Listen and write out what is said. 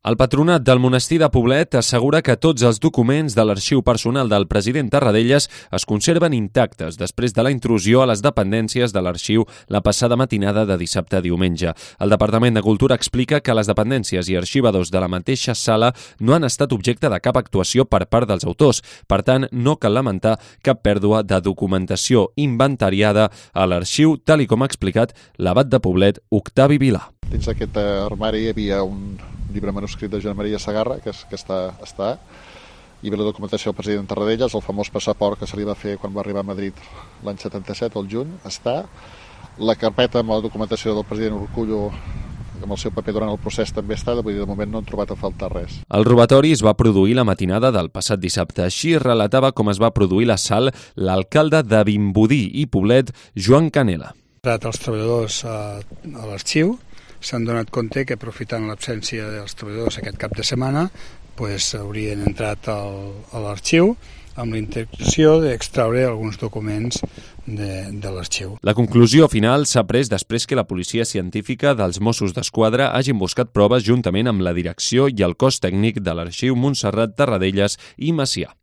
El patronat del monestir de Poblet assegura que tots els documents de l'arxiu personal del president Tarradellas es conserven intactes després de la intrusió a les dependències de l'arxiu la passada matinada de dissabte a diumenge. El Departament de Cultura explica que les dependències i arxivadors de la mateixa sala no han estat objecte de cap actuació per part dels autors. Per tant, no cal lamentar cap pèrdua de documentació inventariada a l'arxiu, tal com ha explicat l'abat de Poblet, Octavi Vilà. Dins d'aquest armari hi havia un llibre manuscrit de Joan Maria Segarra, que està. Hi havia la documentació del president Tarradellas, el famós passaport que se li va fer quan va arribar a Madrid l'any 77, al juny, està. La carpeta amb la documentació del president Urkullu, amb el seu paper durant el procés, també està, vull dir, de moment no han trobat a faltar res. El robatori es va produir la matinada del passat dissabte. Així relatava com es va produir l'assalt l'alcalde de Vimbodí i Poblet, Joan Canela. Els treballadors a l'arxiu s'han donat compte que, aprofitant l'absència dels treballadors aquest cap de setmana, haurien entrat a l'arxiu amb la intenció d'extraure alguns documents de l'arxiu. La conclusió final s'ha pres després que la policia científica dels Mossos d'Esquadra hagin buscat proves juntament amb la direcció i el cos tècnic de l'arxiu Montserrat Tarradellas i Macià.